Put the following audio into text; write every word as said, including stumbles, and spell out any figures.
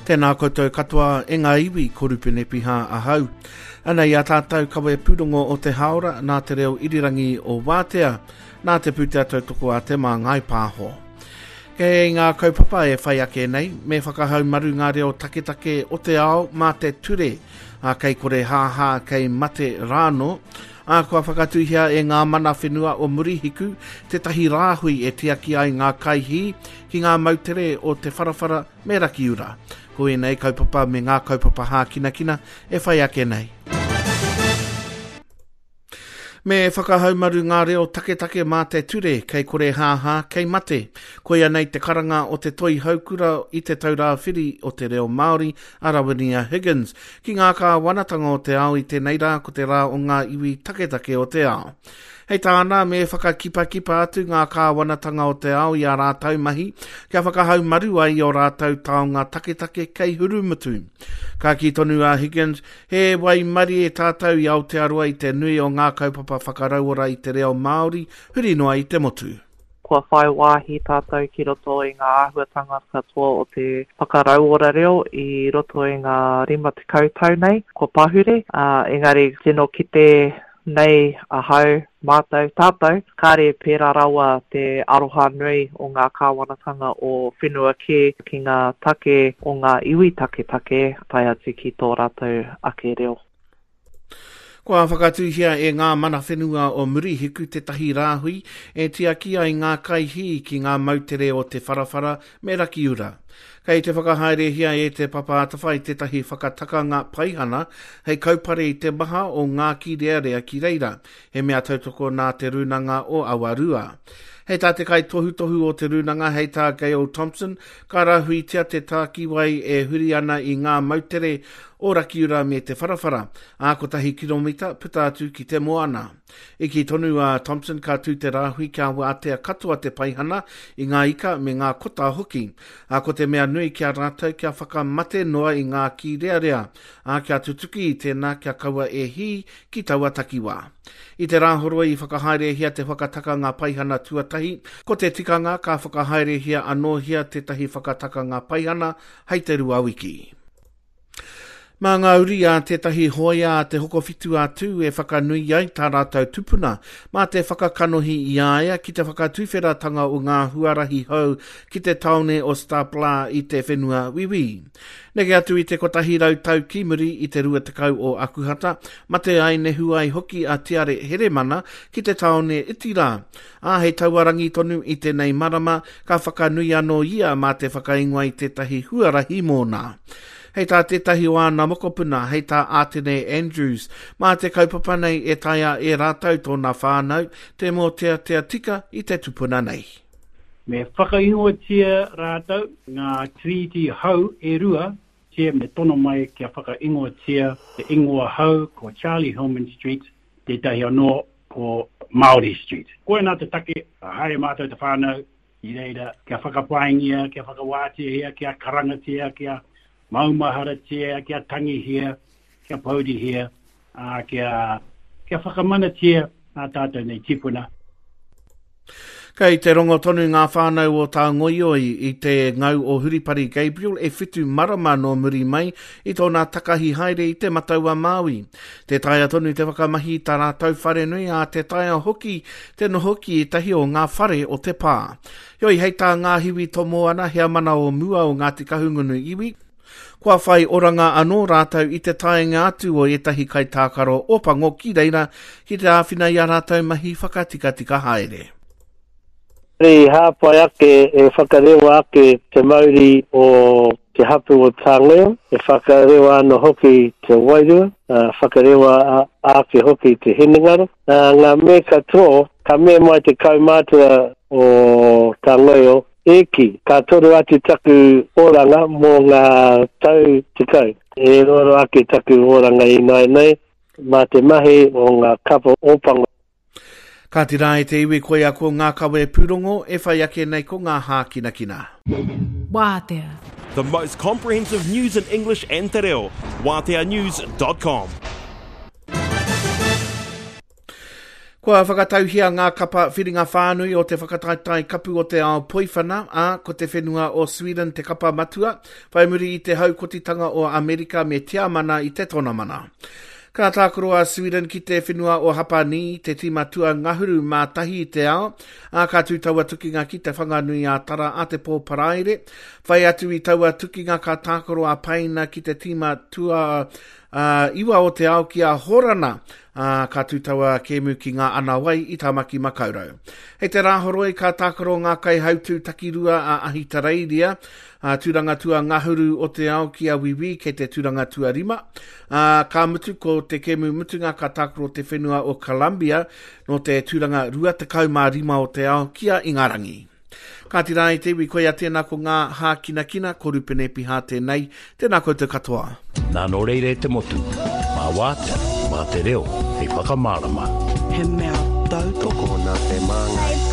Tēnā koutou katoa e ngā iwi, ko Rupene Piha ahau. Anei a tātou kawe pūrongo o te haora nā te reo irirangi o Wātea, nā te pūtea tautoko a Te Māngai Pāho. Kei ngā kaupapa e whai ake nei, me whakahaumaru ngā reo taketake o te ao mā te ture, a kei kore hāhā, kei mate rāno, a kua whakatūhia e ngā mana whenua o Murihiku tētahi rāhui e tiaki ai ngā kaihī ki ngā moutere o Te Wharawhara me Rakiura. Ko ēnei kaupapa me ngā kaupapa hākinakina e whai ake nei. Me whakahaumaru ngā reo taketake mā te ture, kei kore hāhā, kei mate. Koia nei te karanga o te toi haukura i te taurāwhiri o te reo Māori a Rawinia Higgins. Ki ngā kāwanatanga o te ao i tēnei rā ko te rā o ngā iwi taketake o te ao. Hei tāna, me whakakipakipa atu ngā kāwanatanga o te ao i a rātou mahi, kia whakahaumaru ai i o rātou taonga taketake kei hurumutu. Ka kī tonu a Higgins, he waimarie tātou i Aotearoa i te nui o ngā kaupapa whakarauora i te reo Māori, huri noa i te motu. Kua whai wāhi tātou ki roto i ngā āhuatanga katoa o te whakarauora reo i roto i ngā rima tekau tau nei, kua pahure, uh, engari tino kite nei ahau, mātou, tātou, kāre pērā rawa te aroha nui o ngā kāwanatanga o whenua kē ki ngā take o ngā iwi taketake tae atu ki tō rātou ake reo. Kua whakatūhia e ngā mana whenua o Murihiku tētahi rāhui e tiaki ai ngā kaihī ki ngā moutere o Te Wharawhara me Rakiura. Kei te whakahaerehia e te Papa Atawhai tētahi whakatakanga paihana hei kaupare i te maha o ngā kīrearea ki reira, he mea tautoko nā te Rūnanga o Awarua. Hei tā te kaitohutohu o te Rūnanga, hei tā Gail Thompson, ka rahuitia te tākiwai e huri ana i ngā moutere o Rakiura me Te Wharawhara, ā kotahi kiromita puta atu ki te moana. I kī tonu a Thompson ka tū te rāhui kia wātea katoa te paihana i ngā ika me ngā kota hoki. Ā ko te mea nui kia rātou kia whakamate noa i ngā kīrearea, ā kia tutuki i tēnā kia kaua e hī ki taua takiwā. I te rāhoroi i whakahaerehia te whakatakanga paihana tuatahi, ko te tikanga ka whakahaerehia anōhia tētahi whakatakanga paihana hei te rua wiki. Mā ngā uri a tētahi hoia a te Hokowhitu a Tū e whakanui ai tā rātou tupuna, mā te whakakanohi i a ia ki te whakatuwheratanga o ngā huarahi hou ki te taone o Stapla i te whenua Wiwi. Neke atu i te kotahi rau tau ki muri i te rua tekau o Akuhata, mate ai nehu ai hoki a Tiare Heremana ki te taone iti rā. Ā, hei taua rangi tonu i tēnei marama, ka whakanui anō ia mā te whakaingoa i tētahi huarahi mōna. Hei tā tētahi o āna mokopuna, hei tā Ātene Andrews, mā te kaupapa nei e taea e rātou tōna whānau te mōteatea tika i te tupuna nei. Me whakaingoatia rātou ngā tiriti hau e rua, tia me tono mai kia whakaingoatia te ingoa hau ko Charlie Hillman Street, tētahi anō ko Māori Street. Koinā te take, haere mātou te whānau i reira kia whakapaingia, kia whakawāteahia, kia karangatia, kia maumaharatia, kia tangihia, kia pourihia, ā, kia, kia whakamanatia ā tātou nei tipuna. Kei te rongo tonu ngā whānau o Tāngoioi i te ngau o Huripari Gabriel e whitu marama nō muri mai i tōna takahi haere i te Matau a Māui. Te taea tonu te whakamahi i tā rātou wharenui, ā te taea hoki te noho ki ētahi o ngā whare o te pā. Heoi, hei tā ngā hiwi tomo ana heamana o mua o Ngāti Kahungunu iwi, kua whai oranga anō rātou i te taenga atu o ētahi kaitākaro Ōpango ki reira ki te āwhina i a rātou mahi whakatikatika haere. I hāpai ake, e whakarewa ake te mauri o te hapu o Tāngoio, e whakarewa ana hoki te wairua, whakarewa ake hoki te hinengaro. Ngā me katoa, ka mea mai te kaumātua o Tāngoio, e ki, ka toru atu taku oranga mō ngā tau tekau. E roaroa ake taku oranga i nāianei, mā te mahi o ngā kapa Ōpango. Ka tira e te iwi koia ko ngā kawe pūrongo e whai ake nei ko ngā hākinakina. Wātea. The most comprehensive news in English and te reo. Wātea news dot com. Kua whakatauhia ngā kapa whiringa whānui o te whakataetae kapu o te ao poiwhana, ā, ko te whenua o Sweden te kapa matua, whai muri i te haukotitanga o Amerika me Tiamana i te tonamana. Ka tākaro a Sweden ki te whenua o Hapani, te tīma tua ngahuru mā tahi i te ao, ā, ka tū taua tukinga ki te Whanganui a Tara a te pō Paraire. Whai atu i taua tukinga ka tākaro a Paina ki te tīma tua uh, iwa o te ao ki a Horana, uh, ka tū taua kēmu ki ngā anawai i Tāmaki Makaurau. Hei te Rāhoroi ka tākaro ngā kaihautū takirua a Ahitereiria, a tūranga tua ngahuru o te ao ki a Wiwi kei te tūranga tua rima. Uh, ka mutu ko te kēmu mutunga ka tākaro te whenua o Colombia no te tūranga rua tekau mā rima o te ao ki a Ingarangi. Kāti rā i te iwi, koia tēnā ko ngā hākinakina, ko Rupene Piha tēnei, tēnā koutou katoa. Nā nō reira e te motu, mā wātea, mā te reo, hei whakamārama. He mea tautoko nā te māngai.